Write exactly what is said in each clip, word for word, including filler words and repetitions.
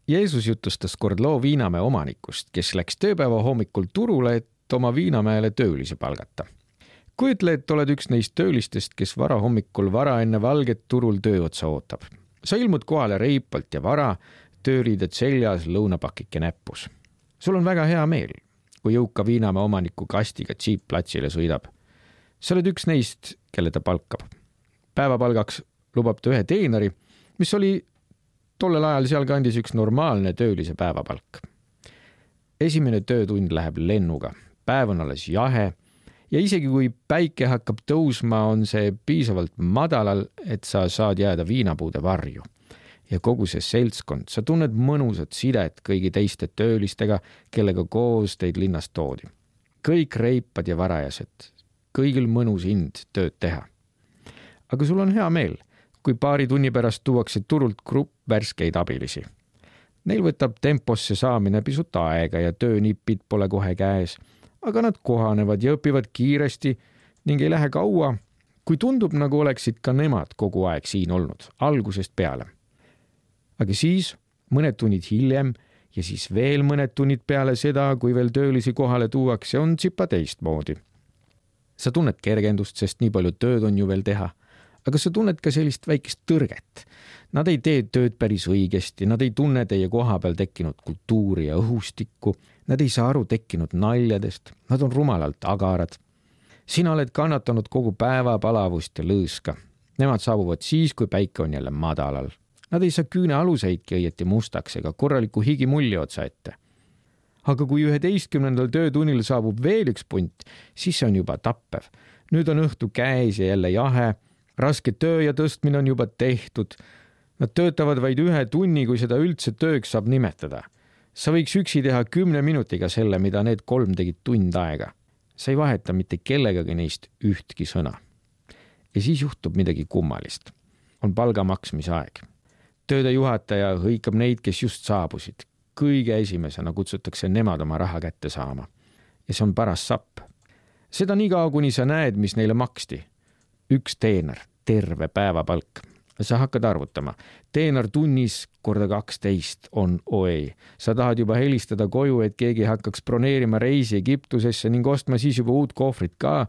Jeesus jutustas kord loo Viinamäe omanikust, kes läks tööpäeva hommikul turule, et oma Viinamäele töölisi palgata. Kujutle, et oled üks neist töölistest, kes vara hommikul vara enne valget turul töö otsa ootab. Sa ilmud kohale reipalt ja vara, tööriided seljas, lõunapakike näppus. Sul on väga hea meel, kui jõuka Viinamäe omaniku kastiga džiip-platsile sõidab. Sa oled üks neist, kelle ta palkab. Päevapalgaks lubab ta ühe teenari, mis oli tollel ajal seal kandis üks normaalne töölise päevapalk. Esimene töötund läheb lennuga, päev on alles jahe ja isegi kui päike hakkab tõusma, on see piisavalt madalal, et sa saad jääda viinapuude varju. Ja kogu see seltskond, sa tunned mõnusat sidet kõigi teiste töölistega, kellega koos teid linnast toodi. Kõik reipad ja varajased, kõigil mõnus ind tööd teha. Aga sul on hea meel, kui paari tunni pärast tuuakse turult grupp värskeid abilisi. Neil võtab temposse saamine pisut aega ja töönipid pole kohe käes, aga nad kohanevad ja õpivad kiiresti ning ei lähe kaua, kui tundub, nagu oleksid ka nemad kogu aeg siin olnud, algusest peale. Aga siis mõned tunnid hiljem ja siis veel mõned tunnid peale seda, kui veel töölisi kohale tuuakse, on tsipa teistmoodi. Sa tunned kergendust, sest nii palju tööd on ju veel teha. Aga sa tunned ka sellist väikest tõrget. Nad ei tee tööd päris õigesti, nad ei tunne teie koha peal tekkinud kultuuri ja õhustikku, nad ei saa aru tekkinud naljadest, nad on rumalalt agarad. Sina oled kannatanud kogu päeva palavust ja lõõska. Nemad saabuvad siis, kui päike on jälle madalal. Nad ei saa küüne aluseidki õieti mustaks ega korraliku higimulli otsa ette. Aga kui üheteistkümnendal töötunnil saabub veel üks punt, siis see on juba tappev. Nüüd on õhtu käes ja jälle jahe. Raske töö ja tõstmine on juba tehtud. Nad töötavad vaid ühe tunni, kui seda üldse tööks saab nimetada. Sa võiks üksi teha kümne minutiga selle, mida need kolm tegid tund aega. Sa ei vaheta mitte kellegagi neist ühtki sõna. Ja siis juhtub midagi kummalist. On palga maksmise aeg. Tööde juhataja hõikab neid, kes just saabusid. Kõige esimesena kutsutakse nemad oma raha kätte saama. Ja see on paras sapp. Seda nii kaua, kuni sa näed, mis neile maksti. Üks teener, terve päevapalk. Sa hakkad arvutama. Teener tunnis korda kaksteist on oi. Sa tahad juba helistada koju, et keegi hakkaks broneerima reisi Egiptusesse ning ostma siis juba uut kohvrit ka,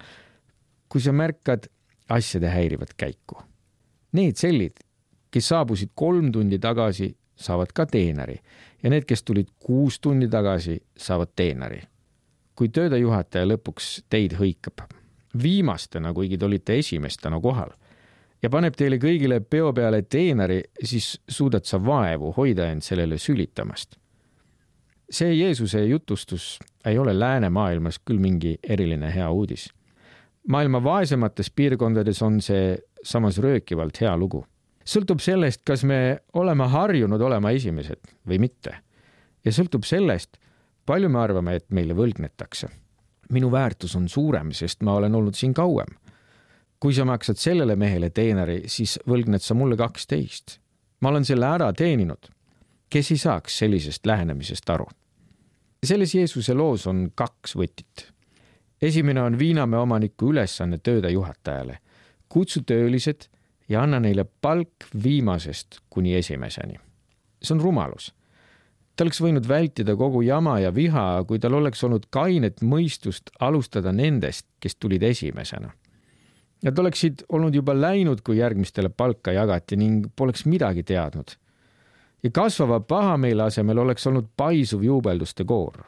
kui sa märkad, asjade häirivad käiku. Need sellid, kes saabusid kolm tundi tagasi, saavad ka teeneri ja need, kes tulid kuus tundi tagasi, saavad teeneri. Kui tööde juhataja lõpuks teid hõikab, viimastena, kuigi te olite esimestena kohal, ja paneb teile kõigile peo peale teeneri, siis suudad sa vaevu hoida end sellele sülitamast. See Jeesuse jutustus ei ole läänemaailmas küll mingi eriline hea uudis. Maailma vaesemates piirkondades on see samas röökivalt hea lugu. Sõltub sellest, kas me oleme harjunud olema esimesed või mitte. Ja sõltub sellest, palju me arvame, et meile võlgnetakse. Minu väärtus on suurem, sest ma olen olnud siin kauem. Kui sa maksad sellele mehele teeneri, siis võlgned sa mulle kaksteist. Ma olen selle ära teeninud. Kes ei saaks sellisest lähenemisest aru? Selles Jeesuse loos on kaks võtit. Esimene on Viinamäe omaniku ülesanne tööde juhatajale. Kutsu töölised ja anna neile palk viimasest kuni esimeseni. See on rumalus. Ta oleks võinud vältida kogu jama ja viha, kui tal oleks olnud kainet mõistust alustada nendest, kes tulid esimesena. Nad oleksid olnud juba läinud, kui järgmistele palka jagati ning poleks midagi teadnud. Ja kasvava pahameele asemel oleks olnud paisuv juubelduste koor.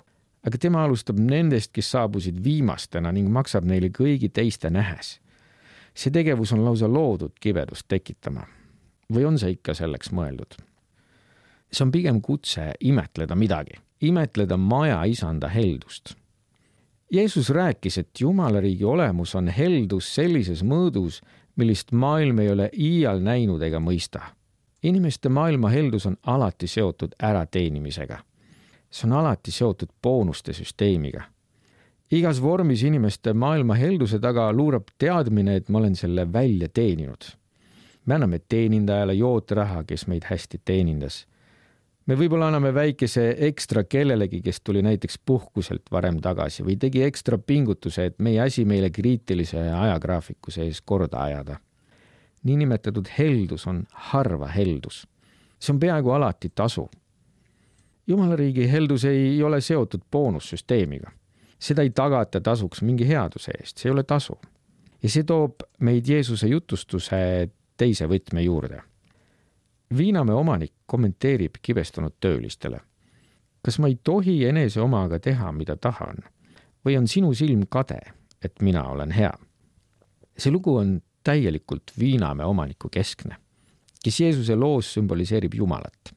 Aga tema alustab nendest, kes saabusid viimastena ning maksab neile kõigi teiste nähes. See tegevus on lausa loodud kibedust tekitama. Või on see ikka selleks mõeldud? See on pigem kutse imetleda midagi, imetleda maja isanda heldust. Jeesus rääkis, et Jumalariigi olemus on heldus sellises mõõdus, millist maailm ei ole iial näinud ega mõista. Inimeste maailma heldus on alati seotud ärateenimisega. See on alati seotud boonuste süsteemiga. Igas vormis inimeste maailma helduse taga luurab teadmine, et ma olen selle välja teeninud. Me anname teenindajale jootraha, kes meid hästi teenindas. Me võib-olla anname väikese ekstra kellelegi, kes tuli näiteks puhkuselt varem tagasi või tegi ekstra pingutuse, et meie asi meile kriitilise ajagraafiku sees korda ajada. Niinimetatud heldus on harva heldus. See on peaaegu alati tasu. Jumala riigi heldus ei ole seotud boonussüsteemiga. Seda ei tagata tasuks mingi headuse eest, see ei ole tasu. Ja see toob meid Jeesuse jutustuse teise võtme juurde. Viinamäe omanik kommenteerib kibestunud töölistele. Kas ma ei tohi enese omaga teha, mida tahan? Või on sinu silm kade, et mina olen hea? See lugu on täielikult Viinamäe omaniku keskne, kes Jeesuse loos sümboliseerib Jumalat.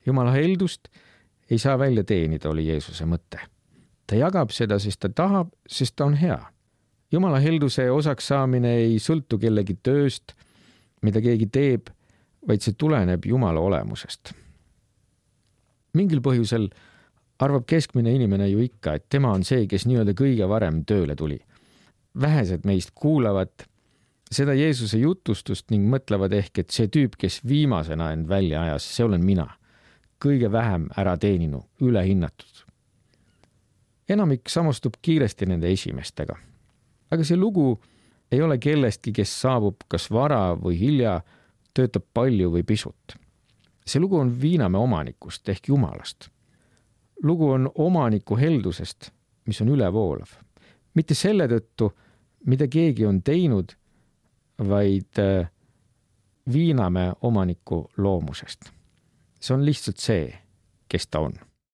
Jumala heldust ei saa välja teenida, oli Jeesuse mõte. Ta jagab seda, sest ta tahab, sest ta on hea. Jumala helduse osaks saamine ei sõltu kellegi tööst, mida keegi teeb, vaid see tuleneb Jumala olemusest. Mingil põhjusel arvab keskmine inimene ju ikka, et tema on see, kes nii-öelda kõige varem tööle tuli. Vähesed meist kuulavad seda Jeesuse jutustust ning mõtlevad ehk, et see tüüp, kes viimasena end välja ajas, see olen mina. Kõige vähem ära teeninu, ülehinnatud. Enamik samastub kiiresti nende esimestega. Aga see lugu ei ole kellestki, kes saabub kas vara või hilja, töötab palju või pisut. See lugu on Viinamäe omanikust ehk Jumalast. Lugu on omaniku heldusest, mis on ülevoolav. Mitte selle tõttu, mida keegi on teinud, vaid Viinamäe omaniku loomusest. See on lihtsalt see, kes ta on.